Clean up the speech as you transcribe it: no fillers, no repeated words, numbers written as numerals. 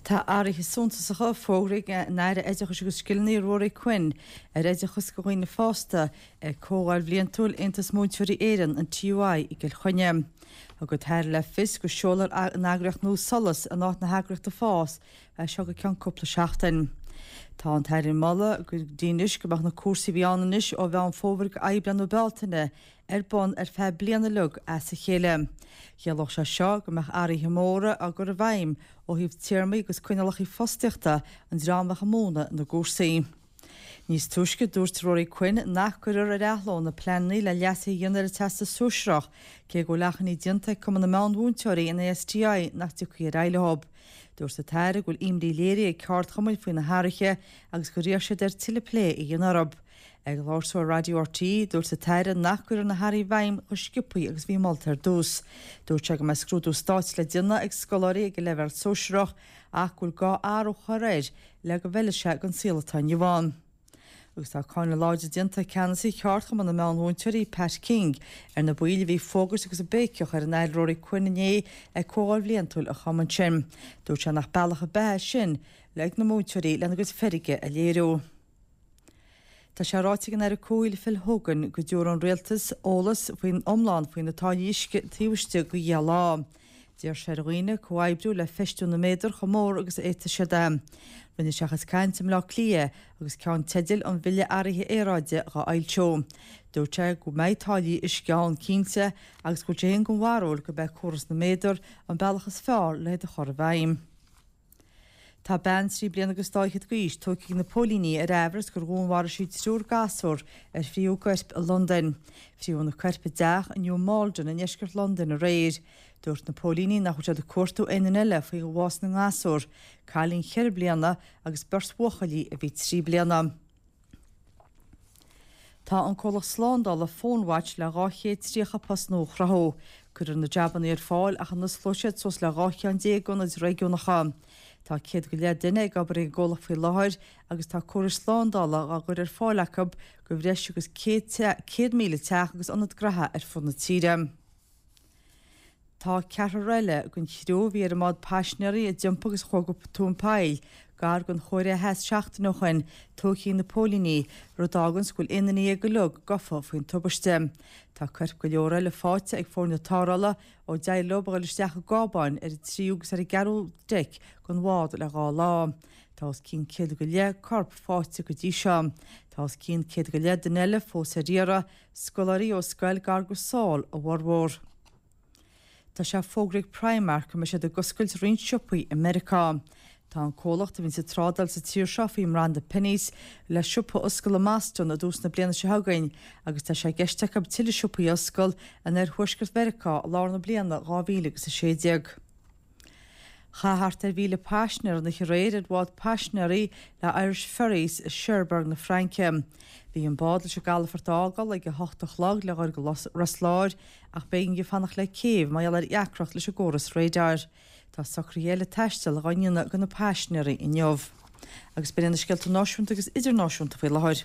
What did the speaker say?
Tá athruithe suntasacha fógraithe ag an Aire Oideachais agus Scileanna Ruairí Quinn ar oideachas do dhaoine fásta ag Comhdháil Bhliantúil Aontas Múinteoirí Éireann, an TUI, i gCill Chainnigh. Thug an tAire le fios go seolfar an eagraíocht nua SOLAS in áit na heagraíochta FÁS as seo go ceann cúpla seachtain. Tá an tAire ag moladh go dtí anois go mbeadh na cúrsaí a bhí ann anois ó Mheán Fómhair go Aibreán nó Bealtaine ar bun ar feadh bliana uilig as a chéile. Chiallódh sé seo go mbeadh athruithe móra á gcur i bhfeidhm ó thaobh téarmaí agus coinníollacha fostaíochta an dream a bheadh ag múineadh na gcúrsaí. Níos túisce, dúirt Ruairí Quinn nach gcuirfear ar athló na pleananna le leasuithe a dhéanamh ar an Teastas Sóisearach, cé go bhfuil achainí déanta ag Cumann na Meán-Mhúinteoirí, an ASTI, nach dtiocfaí ar aghaidh leo. Dúirt an tAire go bhfuil imní léirithe ag ceardchumainn faoi na hathruithe agus gur iarr siad air tuilleadh plé a dhéanamh orthu. Ag labhairt dó ar Raidió RTÉ, dúirt an tAire nach gcuirfear na hathruithe i bhfeidhm chomh sciobtha agus a bhí molta ar dtús. Dúirt sé go mbeidh scrúdú stáit le déanamh ag scoláirí ag an leibhéal sóisearach ach go bhfuil gá athrú a chur air le go bhfeilfidh sé don saol atá inniu ann. Agus tá cáineadh láidir déanta ag ceannasaí Cheardchumann na Meán-Mhúinteoirí, Pat King, ar na baill a bhí ag fógairt agus ag béiceach ar an Aire Ruairí Quinn inné ag comhdháil bhliantúil an chumainn sin. Dúirt sé nach bealach ar bith é sin ag na múinteoirí lena gcuid feirge a léiriú. Tá sé ráite ag an Aire Comhshaoil Phil Hogan go dtabharfaidh an Rialtas eolas faoin iomlán faoi na táillí uisce taobh istigh de dheich lá. D'iarr sé ar dhaoine comhoibriú le feistiú na méadar chomh mór agus a fhéadfaidh siad é. Rinne sé a chuid cainte i mBleá Cliath agus ceannteidil an Bhille Athraithe Aeráide dhá fhoilsiú. Dúirt sé go mbeidh táillí uisce ann cinnte agus go bhfuil sé féin den bharúil gurb é córas na méadar an bealach is fearr le hiad a chur i bhfeidhm. Tá bean trí bliana agus dá fhichead d'aois tógtha ag na póilíní ar aimhreas gur dhúnmharaigh sí triúr gasúr ar frítheadh a gcoirp i Londain. Frítheadh na coirp i dteach i New Malden i ndeisceart Londain aréir. Dúirt na póilíní nach bhfuil siad ag cuartú aon duine eile faoi bhás na ngasúr, cailín cheithre bliana agus beirt bhuachaillí a bhí 3 bliana. Tá an comhlacht slándála PhoneWatch le 230 post nua a chruthú. Cuirfear na jabanna ar fáil ach a n-osclóidh siad suas le 12 cheann d'ionaid réigiúnacha. Tá 100 go leith duine ag obair ag an gcomhlacht faoi láthair agus tá córais slándála á gcur ar fáil acu do bhreis agus 100,000 teach agus ionad graithe ar fud na tíre. Tá ceathrar eile den chriú a bhí ar an mbád paisinéirí a d'iompaigh agus a chuaigh go tóin poill gar don Chóiré Theas seachtain ó shoin tógtha ag na póilíní, rud a fháganns go bhfuil 11 duine uilig gafa faoin tubaiste. Tá coirp go leor eile faighte ag foirne tarrthála ó d'éirigh leo a dhul isteach i gcábáin ar an tríú agus ar an gceathrú deic den bhád le dhá lá. Tá os cionn 100 go leith corp faighte go dtí seo. Tá os cionn 100 go leith duine eile fós ar iarraidh, Scoláirí ó scoil gar go Seoul a bhformhór. Tá sé fógraithe ag Primark go mbeidh siad ag oscailt roinnt siopaí i Meiriceá. Tá an comhlacht a bhíonns ag trádáil sa tír seo faoi mbranda Penneys le siopa a oscail i mBoston i dtús na bliana seo chugainn agus tá sé i gceist acu tuilleadh siopaí a oscail in oirthuaisceart Mheiriceá i lár na bliana 2016. Chaith thart ar 1,000 paisinéir an oíche aréir ar bhád paisinéirí le Irish Ferries i Cherbourg na Fraince. Bhí an bád leis an gcalafort a fhágáil ag a hocht a chlog le dhul go Ros Láir ach b'éigean di fanacht le céibh mar gheall ar dheacracht leis an gcóras radar. Tá socruithe eile taistil dhá ndéanamh do na paisinéirí inniu. Agus b'in iad na scéalta náisiúnta agus idirnáisiúnta faoi láthair.